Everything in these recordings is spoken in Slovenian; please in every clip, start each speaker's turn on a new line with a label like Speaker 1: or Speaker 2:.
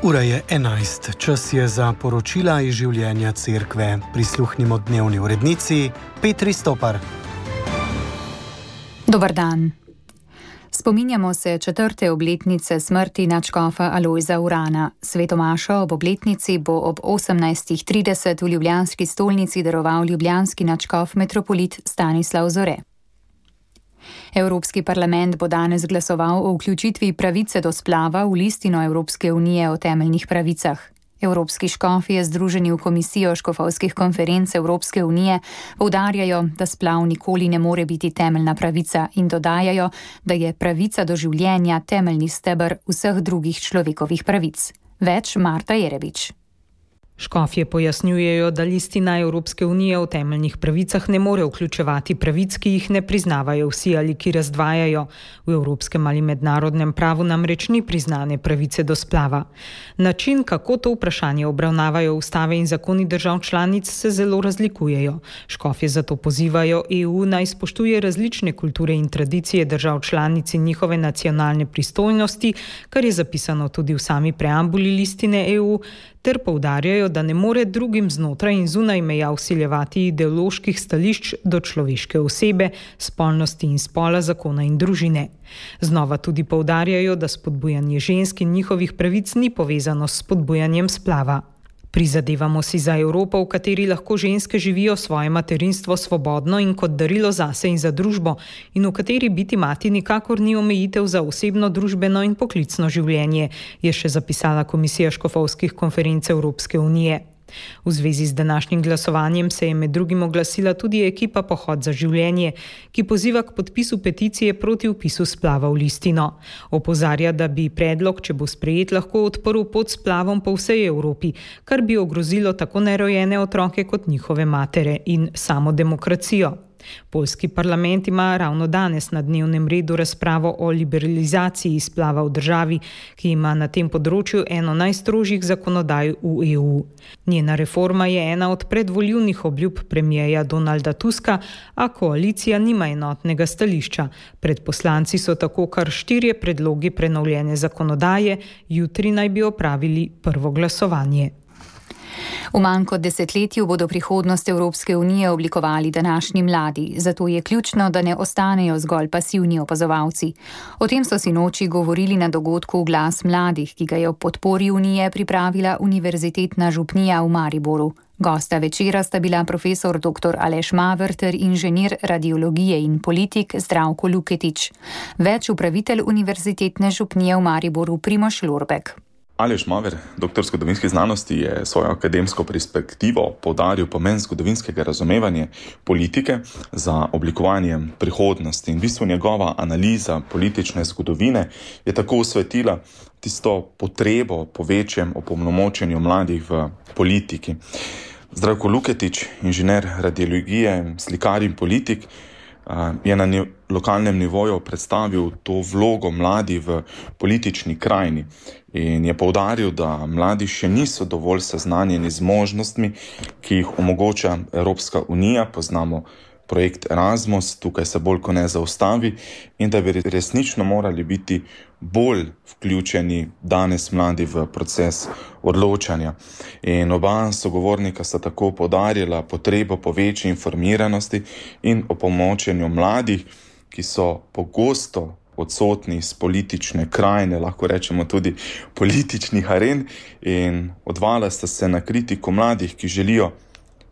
Speaker 1: Ura je 11, čas je za poročila iz življenja cerkve. Prisluhnimo dnevni urednici Petri Stopar.
Speaker 2: Dober dan. Spominjamo se 4. obletnice smrti nadškofa Alojza Urana. Svetomašo ob obletnici bo ob 18:30 v ljubljanski stolnici daroval ljubljanski nadškof metropolit Stanislav Zore. Evropski parlament bo danes glasoval o vključitvi pravice do splava v listino Evropske unije o temeljnih pravicah. Evropski škofi, združeni v komisijo škofovskih konferenc Evropske unije, poudarjajo, da splav nikoli ne more biti temeljna pravica in dodajajo, da je pravica do življenja temeljni steber vseh drugih človekovih pravic. Več Marta Jerebič.
Speaker 3: Škofje pojasnjujejo, da listina Evropske unije o temeljnih pravicah ne more vključevati pravic, ki jih ne priznavajo vsi ali ki razdvajajo. V evropskem ali mednarodnem pravu namreč ni priznane pravice do splava. Način, kako to vprašanje obravnavajo ustave in zakoni držav članic, se zelo razlikujejo. Škofje zato pozivajo EU naj spoštuje različne kulture in tradicije držav članic in njihove nacionalne pristojnosti, kar je zapisano tudi v sami preambuli listine EU, ter poudarjajo, da ne more drugim znotraj in zunaj meja vsiljevati ideoloških stališč do človeške osebe, spolnosti in spola, zakona in družine. Znova tudi poudarjajo, da spodbujanje žensk in njihovih pravic ni povezano s spodbujanjem splava. Prizadevamo si za Evropo, v kateri lahko ženske živijo svoje materinstvo svobodno in kot darilo zase in za družbo, in v kateri biti mati nikakor ni omejitev za osebno, družbeno in poklicno življenje, je še zapisala Komisija škofovskih konferenc Evropske unije. V zvezi z današnjim glasovanjem se je med drugim oglasila tudi ekipa Pohod za življenje, ki poziva k podpisu peticije proti vpisu splava v listino. Opozarja, da bi predlog, če bo sprejet, lahko odprl pot splavom po vsej Evropi, kar bi ogrozilo tako nerojene otroke kot njihove matere in samo demokracijo. Poljski parlament ima ravno danes na dnevnem redu razpravo o liberalizaciji splava v državi, ki ima na tem področju eno najstrožjih zakonodaj v EU. Njena reforma je ena od predvoljivnih obljub premierja Donalda Tuska, a koalicija nima enotnega stališča. Pred poslanci so tako kar 4 predlogi prenovljene zakonodaje, jutri naj bi opravili prvo glasovanje.
Speaker 2: V manj kot desetletju bodo prihodnost Evropske unije oblikovali današnji mladi, zato je ključno, da ne ostanejo zgolj pasivni opazovalci. O tem so sinoči govorili na dogodku Glas mladih, ki ga je ob podpori unije pripravila Univerzitetna župnija v Mariboru. Gosta večera sta bila profesor dr. Aleš Maver ter inženir radiologije in politik Zdravko Luketič. Več upravitelj Univerzitetne župnije v Mariboru Primož Lorbek.
Speaker 4: Aleš Maver, doktor zgodovinskih znanosti, je svojo akademsko perspektivo poudaril pomen zgodovinskega razumevanja politike za oblikovanje prihodnosti. In v bistvu njegova analiza politične zgodovine je tako osvetlila tisto potrebo po večjem opolnomočenju mladih v politiki. Zdravko Luketič, inženir radiologije, slikar in politik, je na lokalnem nivoju predstavil to vlogo mladih v politični krajini in je poudaril, da mladi še niso dovolj seznanjeni z možnostmi, ki jih omogoča Evropska unija. Poznamo projekt Erasmus, tukaj se bolj ko ne zaustavi, in da bi resnično morali biti bolj vključeni danes mladi v proces odločanja. In oba sogovornika sta tako poudarjala potrebo po večji informiranosti in opolnomočenju mladih, ki so pogosto odsotni iz politične krajine, lahko rečemo tudi političnih aren, in odvala sta se na kritiko mladih, ki želijo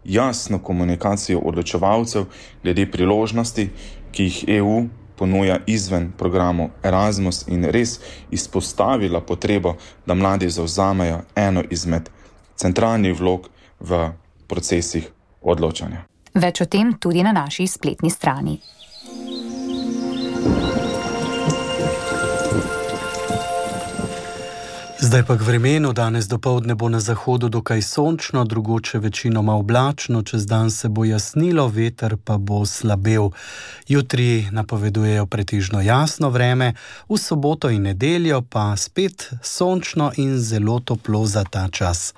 Speaker 4: jasno komunikacijo odločevalcev glede priložnosti, ki jih EU ponuja izven programu Erasmus, in res izpostavila potrebo, da mladi zavzamejo eno izmed centralnih vlog v procesih odločanja.
Speaker 2: Več o tem tudi na naši spletni strani.
Speaker 1: Zdaj pa k vremenu. Danes dopoldne bo na zahodu dokaj sončno, drugoče večinoma oblačno, čez dan se bo jasnilo, veter pa bo slabel. Jutri napovedujejo pretežno jasno vreme, v soboto in nedeljo pa spet sončno in zelo toplo za ta čas.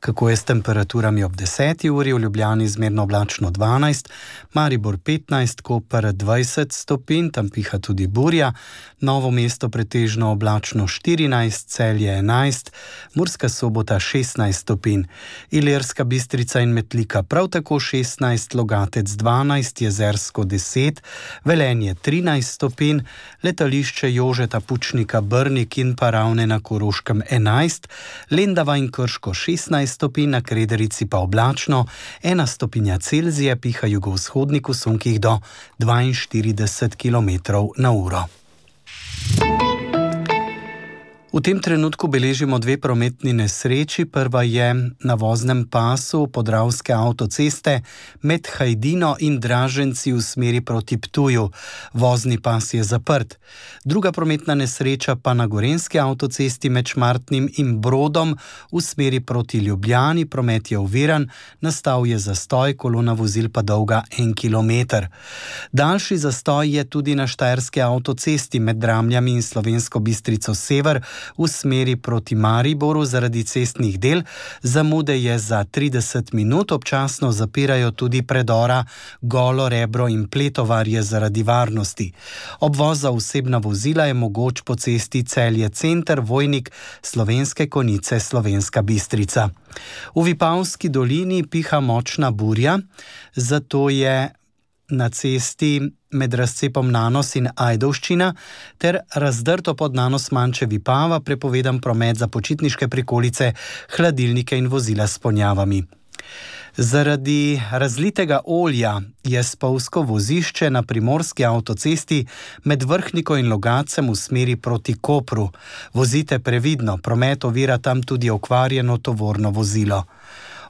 Speaker 1: Kako je s temperaturami ob 10. uri? V Ljubljani zmerno oblačno 12, Maribor 15, Koper 20 stopinj, tam piha tudi burja, Novo mesto pretežno oblačno 14, Celje 11, Murska Sobota 16 stopinj, Ilirska Bistrica in Metlika prav tako 16, Logatec 12, Jezersko 10, Velenje 13 stopinj, letališče Jožeta Pučnika Brnik in pa Ravne na Koroškem 11, Lendava in Krško 16 stopinj, na Krederici pa oblačno, 1 stopinja Celzija, piha jugovzhodnik v sunkih do 42 km/h. V tem trenutku beležimo 2 prometni nesreči. Prva je na voznem pasu Podravske avtoceste med Hajdino in Draženci v smeri proti Ptuju. Vozni pas je zaprt. Druga prometna nesreča pa na Gorenjski avtocesti med Šmartnim in Brodom v smeri proti Ljubljani. Promet je oviran, nastal je zastoj, kolona vozil pa dolga 1 kilometer. Daljši zastoj je tudi na Štajerski avtocesti med Dramljami in Slovensko Bistrico Sever v smeri proti Mariboru zaradi cestnih del. Zamude je za 30 minut, občasno zapirajo tudi predora Golo, Rebro in Pletovarje zaradi varnosti. Obvoz za osebna vozila je mogoč po cesti Celje Center, Vojnik, Slovenske Konjice, Slovenska Bistrica. V Vipavski dolini piha močna burja, zato je na cesti med razcepom Nanos in Ajdovščina ter razdrto pod Nanos Manče Vipava prepovedan promet za počitniške prikolice, hladilnike in vozila s ponjavami. Zaradi razlitega olja je spolzko vozišče na Primorski avtocesti med Vrhniko in Logacem v smeri proti Kopru. Vozite previdno, promet ovira tam tudi okvarjeno tovorno vozilo.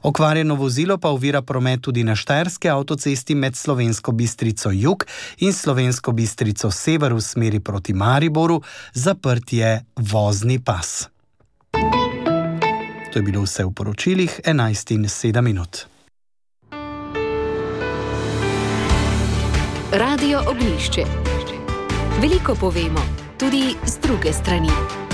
Speaker 1: Okvarjeno vozilo pa ovira promet tudi na Štajerski avtocesti med Slovensko Bistrico Jug in Slovensko Bistrico Sever v smeri proti Mariboru, zaprt je vozni pas. To je bilo vse v poročilih 11:07.
Speaker 5: Radio Oglišče. Veliko povemo, tudi z druge strani.